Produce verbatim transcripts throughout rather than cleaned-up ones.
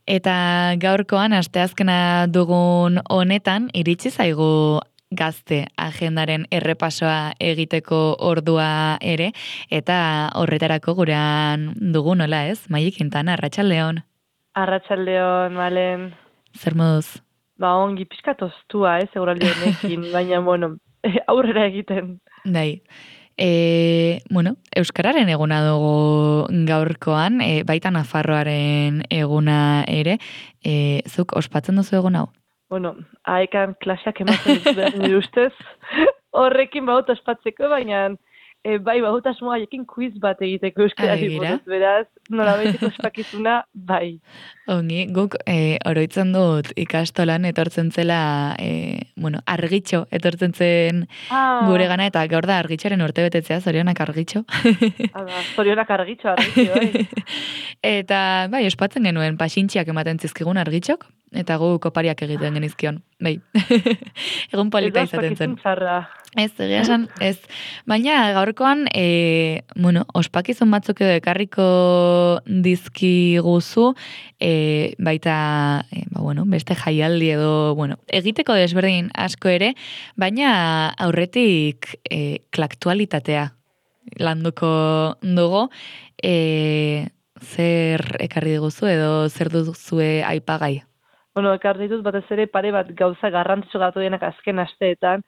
Eta gaurkoan, asteazkena dugun honetan, iritsi zaigu gazte agendaren errepasoa egiteko ordua ere, eta horretarako gurean dugu nola ez, Maili Quintana, arratsaldeon. Arratsaldeon, Malen. Zer moduz? Ba, ongi pixkat oztua, ez, eguraldi honekin, baina, bueno, aurrera egiten. Dai. E, bueno, Euskararen eguna dugu gaurkoan, e, baita Nafarroaren eguna ere, e, zuk ospatzen duzu egun hau? Bueno, haekan klaseak ematen dut behar nire ustez, horrekin baut ospatzeko, baina e, bai baut asmoa haiekin quiz bat egiteko euskarari buruz, beraz, nola baiteko ospakizuna, bai. Ongi, guk e, oroitzen dut ikastolan etortzen zela, e, bueno, argitxo etortzen zen ah. gure gana, eta gaur da argitxoren urte betetzea, zorionak argitxo. Ada, zorionak argitxo, argitxo, bai. Eta, bai, ospatzen genuen pasintxiak ematen zizkigun argitxok, eta gu kopariak egiten genizkion, bai. Egun polita izaten zen. Ez, egia esan, ez. Baina gaurkoan, e, bueno, ospakizun batzuk edo ekarriko dizkiguzu, e, baita, e, ba, bueno, beste jaialdi edo, bueno, egiteko desberdin asko ere, baina aurretik e, klaktualitatea landuko dugu, e, zer ekarri diguzu edo zer duzue aipagai? Bueno, ekarri dut batez ere pare bat gauza garrantzitsu gatu denak azken asteetan,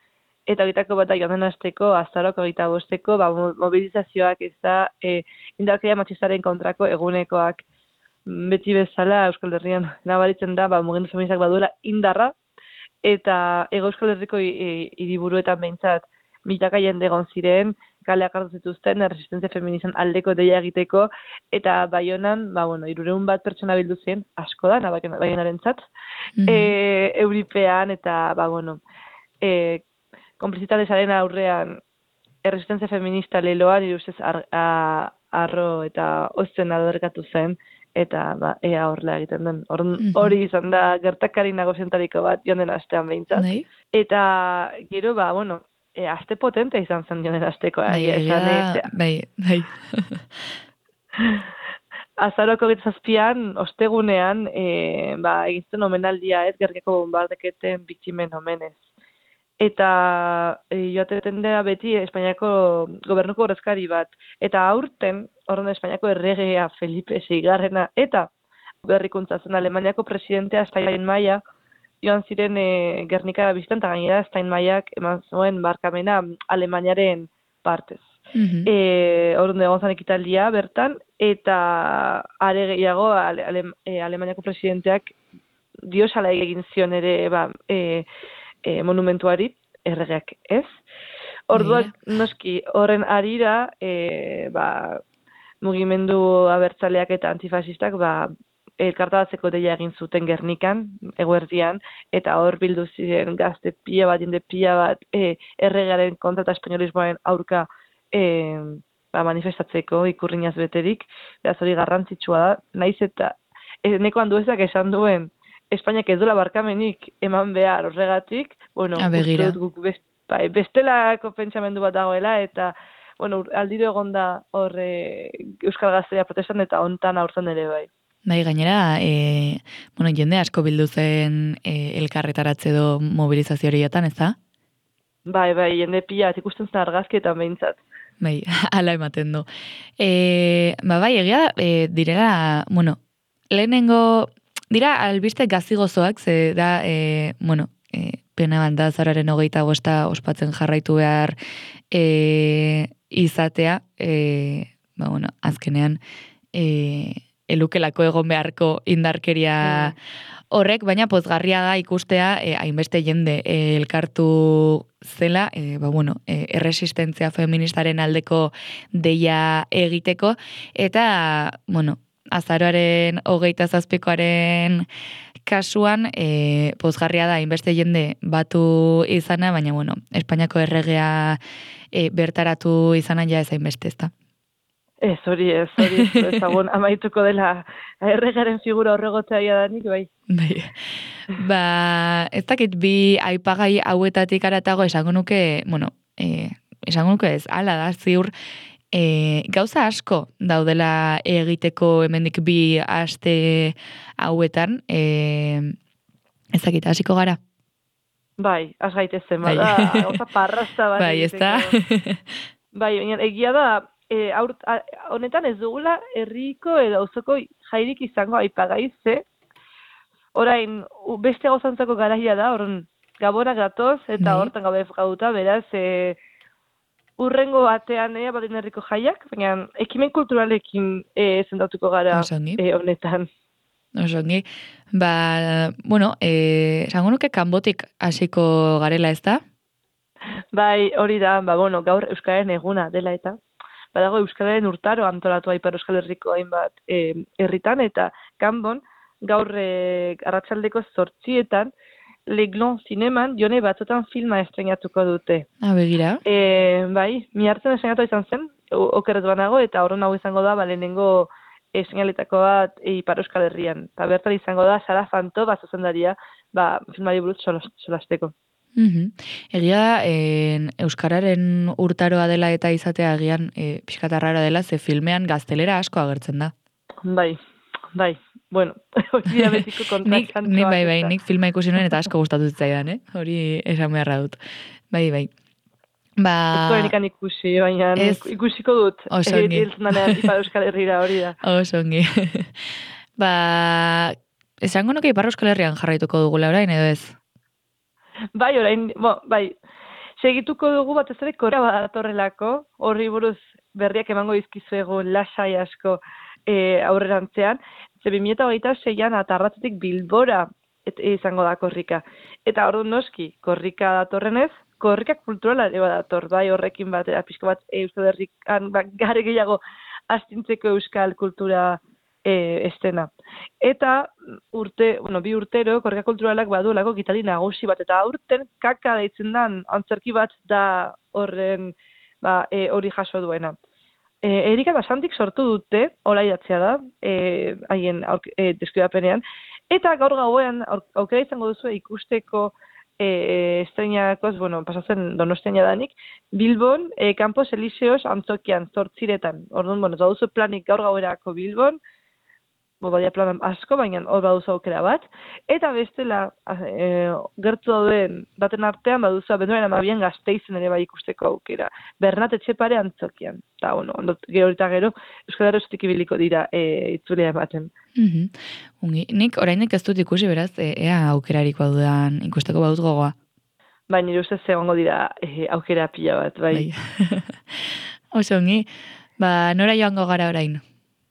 eta egitako bat da joan den asteko, azaroko egita bosteko, ba, mobilizazioak ez da, e, indarkeria matxistaren kontrako egunekoak beti bezala Euskal Herrian nabaritzen da, ba, mugimendu feministak baduela indarra, eta Ego Euskal Herriko hiriburuetan behintzat milaka jende egon ziren, kaleak hartu zituzten, resistentzia feministan aldeko deia egiteko, eta Baionan, ba, bueno, hirurehun bat pertsona bildu zen, asko da, Baionarentzat, mm-hmm. e, Euripean, eta, ba, bueno, e, konplizitatezaren aurrean erresistentzia feminista leloan, nire ustez ar, a, arro eta ozten alderkatu zen, eta ba, ea horrela egiten den. Hori mm-hmm. izan da gertakari nagozientariko bat joan den astean behintzat. Nei? Eta gero, ba, bueno, e, aste potente izan zen joan den asteko. Bai, egia, bai, bai. Azaroko gitzazpian, ostegunean, e, ba, egizten omenaldia ez, gerkeko bombardeketen biktimen omenez. Eta e, joateten da beti Espainiako gobernuko ordezkari bat. Eta aurten, horren Espainiako erregea Felipe seigarrena, eta berrikuntza zen Alemaniako presidentea Steinmeier, joan ziren e, Gernika biztan, eta gainera Steinmeierak eman zuen barkamena Alemaniaren partez. Mm-hmm. E, horren egon zan ekitaldia bertan, eta are gehiago ale, ale, e, Alemaniako presidenteak diosala egin zion ere, ba, e, E, monumentuari, erregeak ez. Orduan, noski, horren arira, e, ba, mugimendu abertzaleak eta antifasistak, ba, elkartabatzeko deia egin zuten Gernikan, eguerdian, eta hor bildu ziren gazte pila bat, jende pila bat, e, erregearen kontra eta espainolismoaren aurka e, ba, manifestatzeko ikurrinaz beterik, beraz hori garrantzitsua da, naiz eta, e, neko handuezak esan duen, Espainiak ez duela barkamenik eman behar horregatik, bueno, uste dut guk best, bai, bestelako pentsamendu bat dagoela, eta bueno, aldiro egon da hor e, Euskal Gazteria protestan eta hontan aurten ere bai. Bai, gainera, e, bueno, jende asko bildu zen e, elkarretaratze do mobilizazio horietan, ez da? Bai, bai, jende pila, ikusten zen argazkietan behintzat. Bai, ala ematen du. E, ba, bai, egia, e, direla, bueno, lehenengo... Dira, albiste gazigozoak, ze da, e, bueno, e, pena banda zararen hogeita bosta ospatzen jarraitu behar e, izatea, e, ba, bueno, azkenean, e, elukelako egon beharko indarkeria horrek, baina pozgarria da ikustea, e, hainbeste jende e, elkartu zela, e, ba, bueno, e, erresistentzia feministaren aldeko deia egiteko, eta, bueno, azaroaren hogeita zazpikoaren kasuan, e, pozgarria da, hainbeste jende batu izana, baina, bueno, Espainiako erregea e, bertaratu izana ja ez hainbeste, ez da? Ez, hori ez, hori ez, ezagun amaituko dela erregaren figura horregotzea danik, bai. Bai. Ba, ez dakit bi aipagai hauetatik aratago esango nuke, bueno, e, esango nuke ez, ala da, ziur, e, gauza asko daudela egiteko hemendik bi aste hauetan, e, ezakita, hasiko gara? Bai, az gaitezen, Bai. bada, gauza parrasta bat Bai, egiteko. ezta? Bai, baina egia da, e, aurt, a, honetan ez dugula herriko edo auzoko jairik izango aipagai ze, orain, u- beste gauzantzako garaia da, horren gabonak gatoz, eta Bai. hortan gabe gauta, beraz, e, urrengo batean ea badin herriko jaiak, baina ekimen kulturalekin e, zendatuko gara Oso ongi. e, honetan. Oso ongi. Ba, bueno, eh, esango nuke kanbotik hasiko garela, ezta? Bai, hori da, ba, bueno, gaur Euskararen eguna dela eta, badago Euskararen urtaro antolatu Ipar Euskal Herriko hainbat e, herritan, eta kanbon, gaur e, arratsaldeko zortzietan, Leglon zineman, jone batzutan filma estrenatuko dute. Ah, begira. E, bai, mi hartzen estrenatu izan zen, o- okerretu banago, eta horren hau izango da, ba, lehenengo e, seinaletako bat e, Ipar Euskal Herrian. Eta bertan izango da, Sara Fanto, bat zuzendaria, ba, filmari buruz solas- solasteko. Mhm. Egia da, en, Euskararen urtaroa dela eta izatea agian e, pixkatarrara dela, ze filmean gaztelera asko agertzen da. Bai, bai, bueno, hori da betiko Nik, kontrastantzoak. nik bai, bai, eta. nik filma ikusi nuen eta asko gustatu zitzaidan, eh? Hori esan beharra dut. Bai, bai. Ba... Ez duenikan ikusi, baina Ez. ikusiko dut. Oso ongi. Hiltzen danean Ipar Euskal Herrira hori da. Oso ongi. Ba, esango nuke Ipar Euskal Herrian jarraituko dugula orain, edo ez? Bai, orain, bo, bai, segituko dugu batez ere Korea badatorrelako, horri buruz berriak emango dizkizuegu lasai asko e, aurrerantzean, ze bi mila hogeita seian atarratzetik Bilbora et, izango da korrika. Eta orduan noski, korrika datorrenez, korrika kulturala ere badator, bai horrekin batera, pixko bat e, Euskal Herrikan ba, gare gehiago astintzeko euskal kultura e, estena. Eta urte, bueno, bi urtero, korrika kulturalak baduelako gitari nagusi bat, eta aurten kaka deitzen dan antzerki bat da horren ba, e, hori jaso duena. E, Erika Basantik sortu dute, hola idatzia da, e, haien auk- e, deskribapenean, eta gaur gauean auk- aukera izango duzu ikusteko e, estreinakoz, bueno, pasatzen Donostian jadanik, Bilbon, e, Campos Elíseos antzokian, zortziretan. Orduan, bueno, baduzu planik gaur gauerako Bilbon, bo badia plan asko, baina hor baduzu aukera bat. Eta bestela, e, gertu dauden baten artean, baduzu abenduaren amabian Gasteizen ere bai ikusteko aukera. Bernat Etxepare antzokian. Eta, bueno, ondot, gero eta gero, Euskal Herriotik ibiliko dira e, itzulea ematen. Mhm. Ungi. Nik oraindik ez dut ikusi, beraz, e, ea aukerarik badudan ikusteko badut gogoa. Baina nire ustez egongo dira e, aukera pila bat, bai. Bai. Oso ongi. Ba, nora joango gara orain?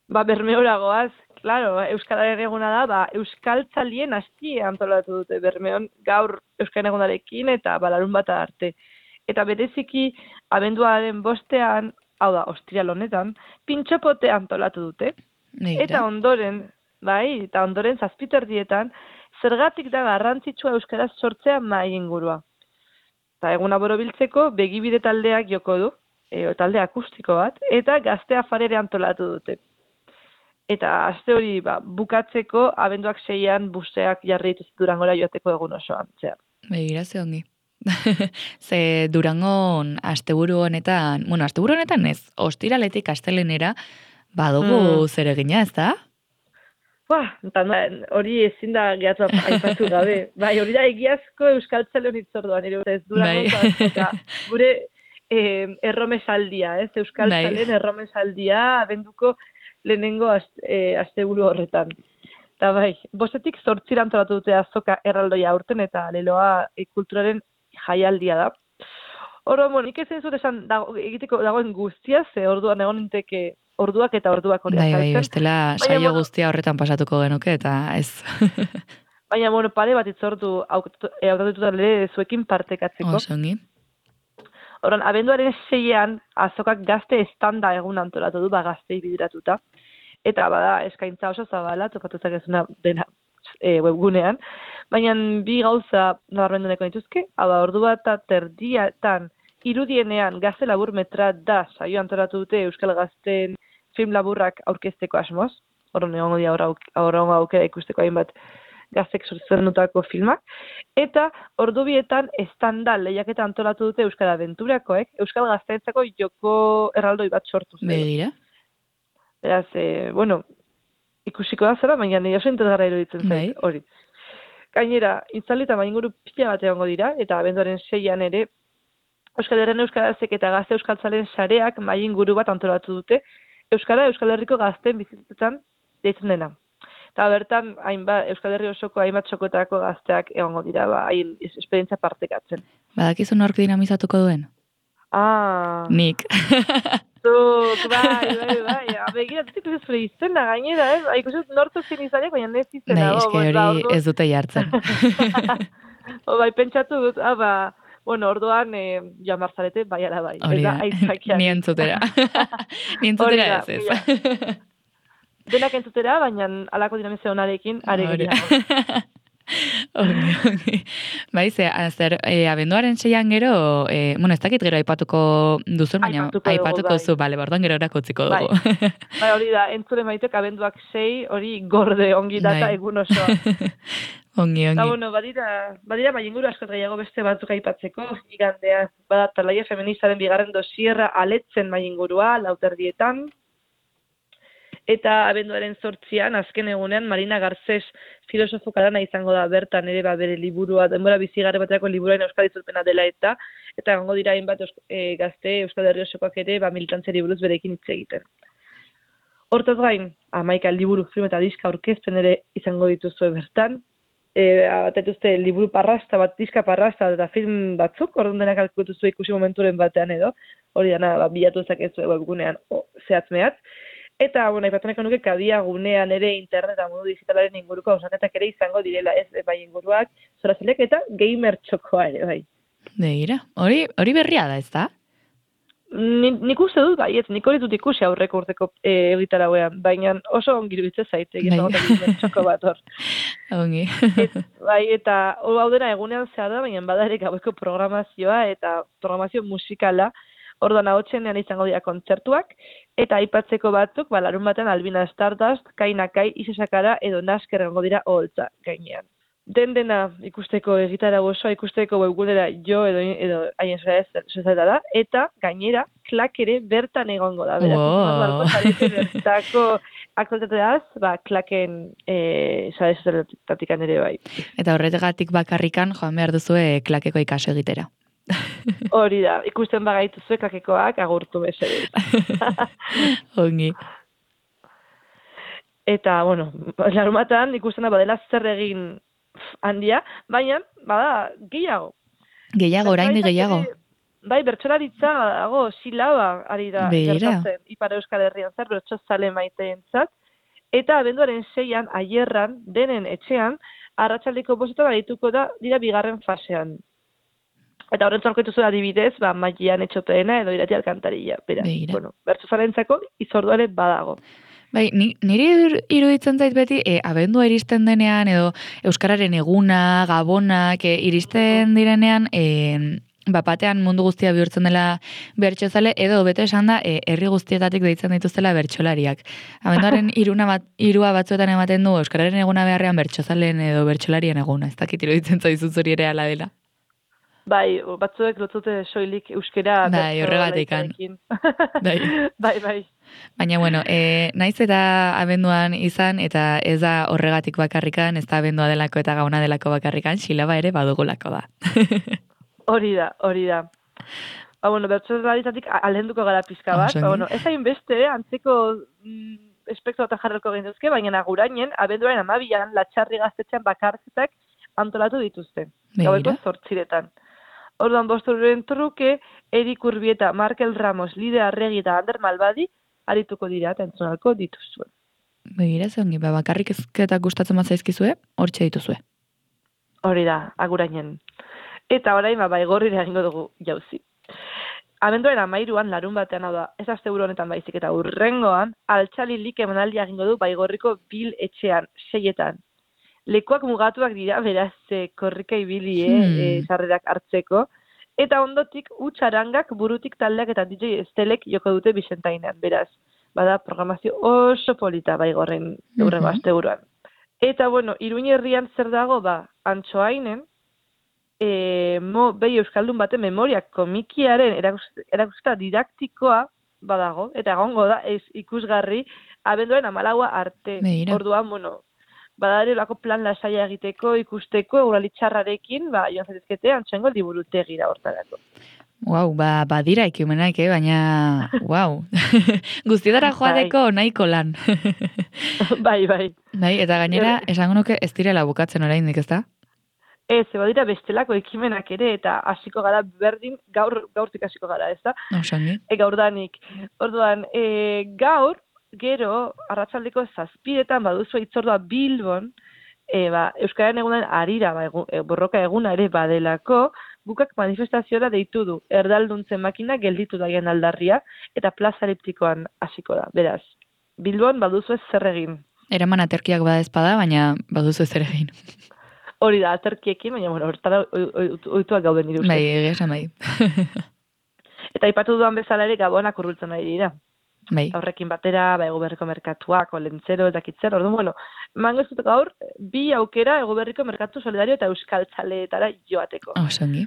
Ba, Bermeora goaz, claro, Euskararen eguna da, ba, Euskaltzalien asti antolatu dute Bermeon gaur Euskaren egunarekin eta balarun bat arte. Eta bereziki, abenduaren bostean, hau da, ostiral honetan, pintxopote antolatu dute. Begira. Eta ondoren, bai, eta ondoren zazpiterdietan, zergatik da garrantzitsua euskaraz sortzea mai ingurua. Eta eguna borobiltzeko begibide taldeak joko du, e, talde akustiko bat, eta gazte afarere antolatu dute. Eta aste hori ba, bukatzeko abenduak seian buseak jarri dituzte Durangora joateko egun osoan. Zera. Begira, ze ongi. Ze Durangon asteburu honetan, bueno, asteburu honetan ez, ostiraletik astelenera badugu Mm. zer egina, ez da? Ba, eta no, hori ezin da gehatza aipatu gabe. Bai, hori da egiazko euskaltzaleon hitzorduan, nire ez Durangon Bai. azoka. Gure eh, erromesaldia, ez? Euskaltzalen Bai. erromesaldia abenduko lehenengo aste, eh, asteburu horretan. Eta bai, bostetik zortzira antolatu dute azoka erraldoia aurten eta leloa e, kulturaren jaialdia da. Orduan, bueno, nik ezen zut esan dago, egiteko dagoen guztia, ze orduan egon ninteke orduak eta orduak hori Bai, bai, azaltzen. bestela Baina, saio bueno, guztia horretan pasatuko genuke eta ez. Baina, bueno, pare bat itzortu hautatuta ere zuekin partekatzeko. Oso ongi. Orduan, abenduaren seian azokak gazte estanda egun antolatu du, ba gaztei bideratuta. Eta bada eskaintza oso zabala, topatutak ezuna dena e, webgunean. Baina bi gauza nabarmendu nahiko dituzke, hau da, ordu bat eta terdiatan irudienean gazte labur metra da saio antolatu dute Euskal Gazteen film laburrak aurkezteko asmoz. Horren egongo dira aurra aukera ikusteko hainbat gaztek zuzendutako filmak, eta ordubietan estanda lehiaketa antolatu dute Euskal Aventurakoek, Euskal Gazteentzako joko erraldoi bat sortu zen. Begira. Beraz, eh, bueno, ikusiko da zera, baina nire oso interesgarra iruditzen zait, hori. Gainera, itzali eta inguru pila bat egongo dira, eta abenduaren seian ere, Euskal Herren Euskarazek eta Gazte Euskaltzalen sareak mai inguru bat antolatu dute, Euskara Euskal Herriko gazteen bizitzetan deitzen dena. Eta bertan, hainbat, Euskal Herri osoko hainbat txokotako gazteak egongo dira, ba, hain esperientzia partekatzen. Badakizu nork dinamizatuko duen? Ah. Nik. Zuk, bai, bai, bai. Begira, dutik ez zure izena gainera, ez? Eh? Ikusut nortu zen izanek, baina ez izena. Bai, eske hori ez dute jartzen. O, bai, pentsatu dut, ah, ba, bueno, orduan, eh, joan barzarete, bai, ala bai. Hori da, ni entzutera. Ni entzutera ez ez. Denak entzutera, baina alako dinamizio honarekin, are gehiago. Ongi, ongi. Bai, ze, zer, e, abenduaren seian gero, e, bueno, ez dakit gero aipatuko duzun, baina aipatuko, aipatuko bai. zu, bale, bordoan gero erako utziko dugu. Bai, bai hori da, entzure maitek abenduak sei, hori gorde ongi data bai. Egun osoa. Ongi, ongi. Eta, bueno, badira, badira bai inguru askot gehiago beste batzuk aipatzeko, igandea, bada talaia feministaren bigarren dosierra aletzen bai ingurua, lauterdietan, eta abenduaren zortzian, azken egunean, Marina Garcés filosofo karana izango da bertan ere ba, bere liburua, denbora bizigarre bateako liburuaren euskal itzulpena dela eta, eta gongo dira hainbat e, gazte Euskal Herri osokoak ere ba, militantzeri buruz berekin hitz egiten. Hortaz gain, hamaika liburu, film eta diska aurkezpen ere izango dituzue bertan, e, atetuzte liburu parrasta bat, diska parrasta eta film batzuk, orduan denak alkutuzue ikusi momenturen batean edo, hori dana ba, bilatu zakezu webgunean zehatz mehatz. Eta, bueno, aipatuneko nuke kadia gunean ere internet eta modu digitalaren inguruko hausaketak ere izango direla ez, bai inguruak, zorazelek eta gamer txokoa ere, bai. Begira, hori, hori berria da, ez da? Ni, nik uste dut, bai, ez, nik hori dut ikusi aurreko urteko e, egitarauean, baina oso ongi iruditze zaite, egin bai. Gamer txoko bat hor. Ongi. Et, bai, eta hau dena egunean zehar da, baina bada ere gaueko programazioa eta programazio musikala, orduan ahotsenean izango dira kontzertuak, eta aipatzeko batzuk, ba, larun batean Albina Stardust, Kainakai, Isesakara edo Nasker egongo dira oholtza gainean. Den dena ikusteko egitara osoa, ikusteko webgunera jo edo edo haien zera da, eta gainera klak ere bertan egongo da. Beraz, wow. Bertako aktualitateaz, ba, klaken e, zara zertatikan ere bai. Eta horregatik bakarrikan joan behar duzue klakeko ikaso egitera. Hori da, ikusten bagaitu zuek klakekoak agurtu bezala. Ongi. Eta, bueno, larumatan ikusten da badela zer egin handia, baina, bada, gehiago. Gehiago, orain gehiago. Bai, bertsolaritza, dago, silaba, ari da, gertatzen, Ipar Euskal Herrian zer, bertsozale maiteentzat, eta abenduaren seian, aierran, denen etxean, arratsaldeko bostetan badituko da, dira bigarren fasean. Eta horren zorkoetu zuen adibidez, ba, Maian Etxopeena edo Irati Alkantarilla. Beraz, bueno, bertsozalentzako izorduare badago. Bai, niri iruditzen zait beti, e, abendua iristen denean, edo Euskararen eguna, gabonak, e, iristen direnean, e, bapatean mundu guztia bihurtzen dela bertsozale, edo bete esan da, e, herri guztietatik deitzen dituztela bertsolariak. Abenduaren iruna bat, irua batzuetan ematen du, Euskararen eguna beharrean bertsozalen edo bertsolarien eguna. Ez dakit iruditzen zaizu zuri ere ala dela. Bai, batzuek lotzute soilik euskera. Bai, horregatikan. Bai. bai, bai. Baina, bueno, e, naiz eta abenduan izan, eta ez da horregatik bakarrikan, ez da abendua delako eta gauna delako bakarrikan, silaba ere badugulako da. Hori da, hori da. Ba, bueno, bertsolarietatik aldenduko gara pizka bat. Ba, bueno, ez hain beste, antzeko mm, espektro eta jarrelko genduzke, baina agurainen, abenduaren amabian, latxarri gaztetxean bakarketak antolatu dituzte. Gaueko zortziretan. Orduan bosturen truke, Erik Urbieta, Markel Ramos, Lide Arregi eta Ander Malbadi arituko dira eta entzunalko dituzue. Begira, zeongi, ba, bakarrik ezketak gustatzen bat zaizkizue, hortxe dituzue. Hori da, agurainen. Eta orain, ba, baigorrira egingo dugu jauzi. Abenduaren amairuan, larun batean hau da, ez azte honetan baizik eta urrengoan, altxali lik emanaldia egingo du baigorriko bil etxean, seietan. Lekuak mugatuak dira, beraz, e, korrika ibili, hmm. e, sarrerak hartzeko. Eta ondotik, utxarangak, burutik taldeak eta D J Estelek joko dute Bixentainean, beraz. Bada, programazio oso polita baigorren eurrego mm-hmm. asteburuan. Eta, bueno, Iruin herrian zer dago, ba, Antsoainen, e, mo, behi Euskaldun baten memoria komikiaren erakusketa didaktikoa badago, eta egongo da, ez ikusgarri, abenduaren amalaua arte. Begira. Orduan, bueno, badare lako plan lasaia egiteko, ikusteko, euralitxarrarekin, ba, joan zaitezkete, Antsoaingo liburutegira hortarako. Wow, ba, badira ekimenak, eh? Baina, wow. Guztietara joateko nahiko lan. Bai, bai. Bai, eta gainera, esango nuke ez direla bukatzen oraindik, ezta? Ez, badira bestelako ekimenak ere, eta hasiko gara berdin, gaur, gaurtik hasiko gara, ezta? Osangi. E, gaurdanik. Orduan, e, gaur, gero, arratsaldeko zazpiretan baduzu itzordua Bilbon, e, ba, Euskararen egunan arira, ba, egun, e, borroka eguna ere badelako, bukak manifestaziora deitu du, erdalduntzen makina gelditu daien aldarria, eta plaza eliptikoan hasiko da, beraz. Bilbon baduzu ez zer egin. Eraman aterkiak bada ezpada, baina baduzu ez zer egin. Hori da, aterkiekin, baina, bueno, hortara oituak gauden nire uste. Bai, egia esan bai. Eta aipatu duan bezala ere gabonak urrultzen ari dira. Bai. Horrekin batera, ba, egoberriko merkatuak, olentzero, edakitzer, orduan, bueno, mango ez dut gaur, bi aukera egoberriko merkatu solidario eta euskaltzaleetara joateko. Osangi.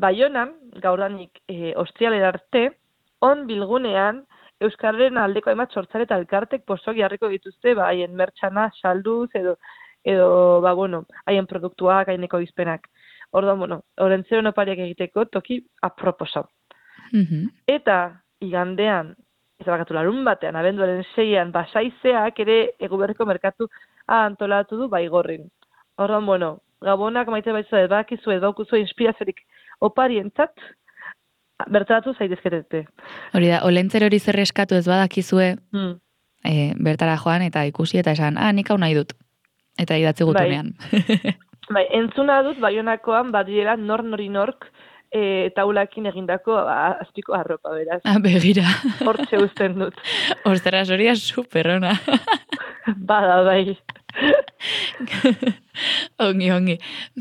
Baionan, gaurdanik e, ostrialera arte, on bilgunean, Euskararen aldeko hainbat sortzale eta elkartek postok jarriko dituzte, ba, haien mertxana, salduz, edo, edo, ba, bueno, haien produktuak, haineko izpenak. Orduan, bueno, olentzero nopariak egiteko toki aproposa. Mm-hmm. Eta, igandean, ez bakatu larun batean, abenduaren seian, basaizeak ere eguberriko merkatu antolatu du baigorrin. Orduan, bueno, gabonak maite baitzu edo bakizu edo daukuzu inspiraziorik oparientzat, bertaratu zaitezketete. Hori da, olentzer hori zer eskatu ez badakizue, hmm. e, bertara joan eta ikusi eta esan, ah, nik hau nahi dut. Eta idatzi gutunean. Bai, bai, entzuna dut, baionakoan badiela nor nori nork e, taulakin egindako a, azpiko arropa, beraz. Ah, begira. Hortxe usten dut. Ostras, hori da super ona. Bada, bai. ongi, ongi.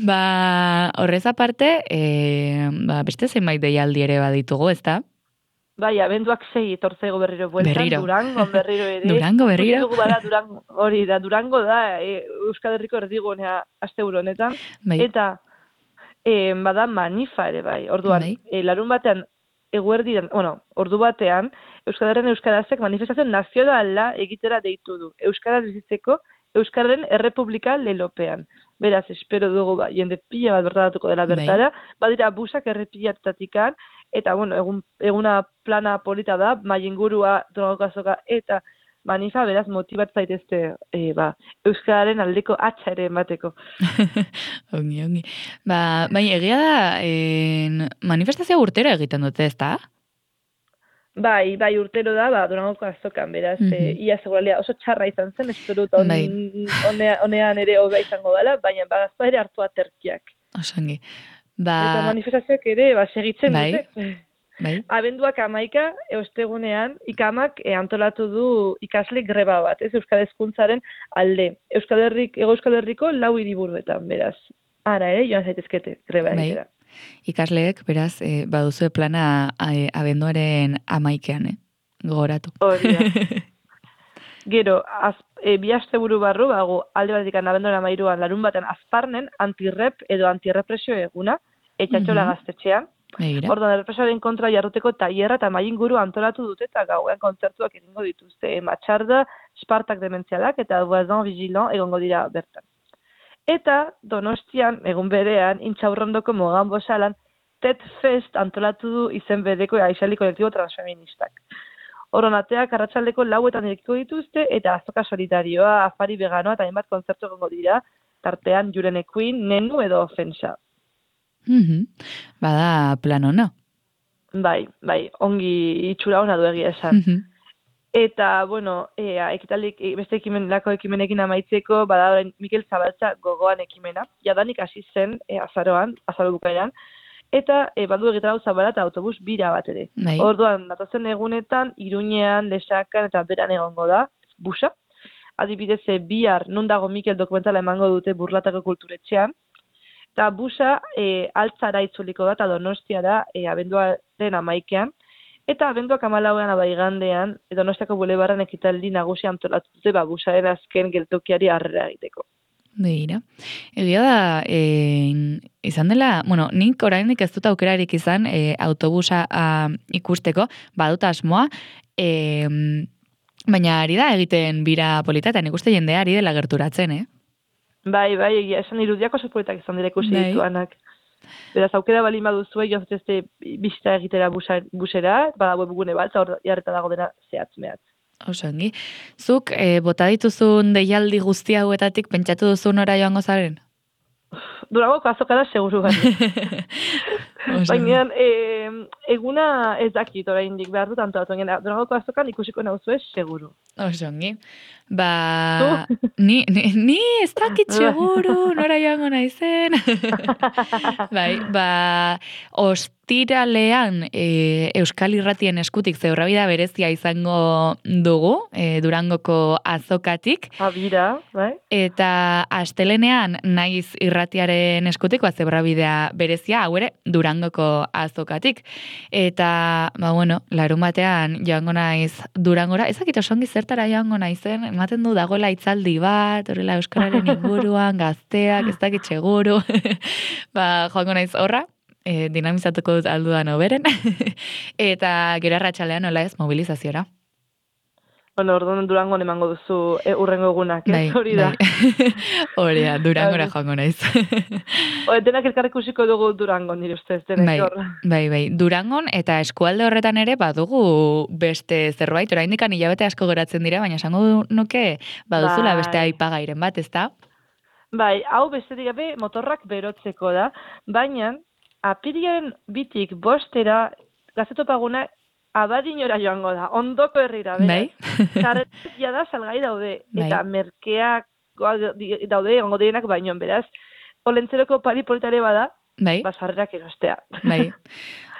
Ba, horrez aparte, e, ba, beste zenbait deialdi ere baditugu, ezta? Bai, abenduak sei etortzego berriro bueltan, berriro. Durango berriro ere. Durango berriro. Bada, Durango, hori da, Durango da, e, Euskal Herriko erdigunea aste honetan. Bai. Eta e, bada manifa ere bai. Orduan, bai. E, larun batean, eguerdian, bueno, ordu batean, Euskararen Euskarazek manifestazio nazionala egitera deitu du. Euskaraz bizitzeko, Euskararen Errepublika lelopean. Beraz, espero dugu, ba, jende pila bat bertatuko dela bertara, bai. Badira busak errepilatatikan, eta, bueno, egun, eguna plana polita da, mailingurua, drogazoka, eta manifa, beraz, motibat zaitezte, e, ba, Euskararen aldeko atxa ere emateko. ongi, ongi. Ba, bai, egia da, en, manifestazio urtero egiten dute, ezta? Bai, bai, urtero da, ba, Durangoko azokan, beraz, mm -hmm. e, ia seguralea oso txarra izan zen, espero dut on, bai. onea, onean ere hobea izango dela, baina bagazpa ere hartu aterkiak. Osangi. Ba... Eta manifestazioak ere, ba, segitzen bai. dute. Bai. Abenduak amaika, ostegunean, ikamak e, antolatu du ikasle greba bat, ez Euskal Hezkuntzaren alde. Euskal Herrik, Ego Euskal Herriko lau hiriburuetan, beraz. Ara ere, joan zaitezkete, greba bai. egitera. Ikasleek, beraz, e, baduzue plana e, abenduaren amaikean, eh? Gogoratu. Hori da. Gero, az, e, bi asteburu barru, bago, alde batetik abenduaren amairuan, larun batean azparnen, antirrep edo antirrepresio eguna, etxatxola mm-hmm. gaztetxean. Orduan, errepresioaren kontra jarruteko tailerra eta mailinguru antolatu dute eta gauean kontzertuak egingo dituzte. Matxarda, Spartak dementzialak eta Voisin Vigilant egongo dira bertan. Eta Donostian, egun berean, Intxaurrondoko Mogan Bosalan, Tet Fest antolatu du izen bereko aizali kolektibo transfeministak. Oronateak arratsaldeko lauetan irikiko dituzte eta azoka solidarioa, afari veganoa eta hainbat kontzertu egongo dira, tartean Jurene Queen, Nenu edo Ofensa. Mm-hmm. Bada plan ona. Bai, bai, ongi itxura ona du egia esan. Mm-hmm. Eta, bueno, e, ekitaldik, beste ekimen, lako ekimenekin amaitzeko, bada Mikel Zabaltza gogoan ekimena, jadanik hasi zen e, azaroan, azaro bukaeran, eta e, badu egitara Zabala eta autobus bira bat ere. Bai. Orduan, datozen egunetan, Iruñean, Lesakan eta beran egongo da, busa. Adibidez, e, bihar, non dago Mikel dokumentala emango dute Burlatako kulturetxean, eta busa e, altzara itzuliko da, eta Donostiara e, abenduaren amaikean, Eta abenduak hamalauean abaigandean, Donostiako bulebarran ekitaldi nagusi antolatu dute ba, busaren azken geltokiari harrera egiteko. Begira. Egia da, e, izan dela, bueno, nik oraindik ez dut aukerarik izan e, autobusa a, ikusteko, badut asmoa, e, baina ari da egiten bira polita, eta nik uste jendea ari dela gerturatzen, eh? Bai, bai, egia, esan irudiako sopolitak izan dira ikusi Bai. dituanak. Beraz, aukera bali baduzue, joan zutezte bizita egitera busa, busera, bada webgune bat, hor jarreta dago dena zehatz mehatz. Oso ongi. Zuk, e, bota dituzun deialdi guzti hauetatik pentsatu duzun ora joango zaren? Durangoko azokara seguru gani. Baina, e, eguna ez dakit oraindik behar dut antolatu. Durangoko azokan ikusiko nauzue seguru. Oso ongi. Ba, ni, ni, ni ez dakit seguru, nora joango naizen. Bai, ba, ostiralean e, Euskal Irratien eskutik zeurrabida berezia izango dugu, e, Durangoko azokatik. Abira, bai. Eta astelenean naiz irratiaren eskutik, ba, zeurrabidea berezia, hau ere, Durangoko azokatik. Eta, ba, bueno, larun batean joango naiz Durangora, ezakit osongi zertara joango naizen, ematen du dagoela itzaldi bat, horrela euskararen inguruan, gazteak, ez dakit seguru. Ba, joango naiz horra, e, dinamizatuko dut aldudan oberen, eta gero arratsalean nola ez mobilizaziora. Bueno, orduan Durangon emango duzu e, urrengo egunak, ez? Bai, Hori da. Bai. Hori da, Durangora joango naiz. O, denak elkar ikusiko dugu Durangon, nire ustez, denek bai, hor. bai, bai. Durangon eta eskualde horretan ere badugu beste zerbait, oraindikan hilabete asko geratzen dira, baina esango nuke baduzula Bai. beste aipagairen bat, ezta? Bai, hau besterik gabe motorrak berotzeko da, baina apirilaren bitik bostera gazetopaguna abadinora joango da, ondoko herrira, beraz. Bai. Karretia da salgai daude, Bai. eta merkeak daude, egongo direnak bainoan, beraz. Olentzeroko pari politare bada, Bai. basarrerak erostea. Bai.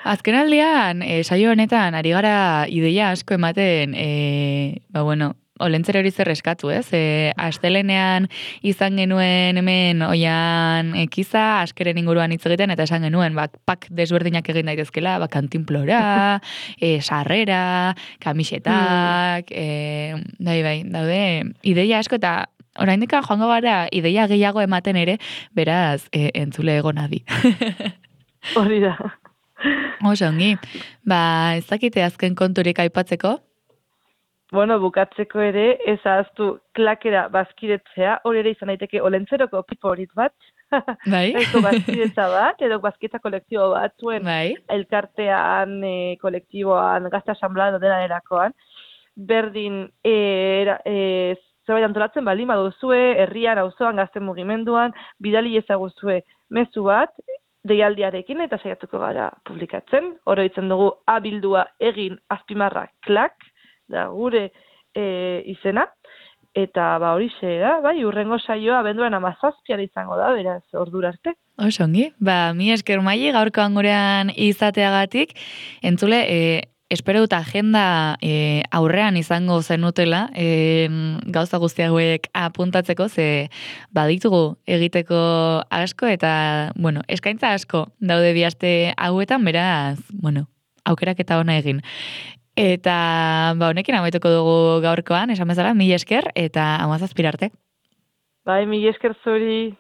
Azken aldean, e, saio honetan, ari gara ideia asko ematen, e, ba bueno, Olentzero hori zer eskatu, ez? E, astelenean izan genuen hemen oian ekiza, askeren inguruan hitz egiten, eta esan genuen, bak, pak desberdinak egin daitezkela, bak, kantinplora, e, sarrera, kamisetak, e, bai, bai, daude, ideia asko, eta oraindik joango gara ideia gehiago ematen ere, beraz, e, entzule egonadi. Hori da. Oso ongi. Ba, ez dakite azken konturik aipatzeko? Bueno, bukatzeko ere, ez ahaztu klakera bazkiretzea, hori ere izan daiteke olentzeroko piporit bat, Bai. Eko bazkidetza bat, edo bazkidetza kolektibo bat, zuen Bai. elkartean, e, kolektiboan, gazte asamblea dela erakoan, berdin e, era, e, zerbait antolatzen bali maduzue, herrian, auzoan, gazte mugimenduan, bidali ezaguzue mezu bat, deialdiarekin eta saiatuko gara publikatzen. Oroitzen dugu abildua egin azpimarra klak, da gure e, izena, eta ba horixe da, bai, urrengo saioa abenduaren hamazazpian izango da, beraz, ordura arte. Oso ongi, ba, mi esker Maili gaurkoan gurean izateagatik, entzule, e, espero dut agenda e, aurrean izango zenutela, e, gauza guzti hauek apuntatzeko, ze baditugu egiteko asko, eta, bueno, eskaintza asko daude bi aste hauetan, beraz, bueno, aukerak eta ona egin. Eta, ba, honekin amaituko dugu gaurkoan, esan bezala, mila esker, eta hamazazpira arte. Bai, mila esker zuri.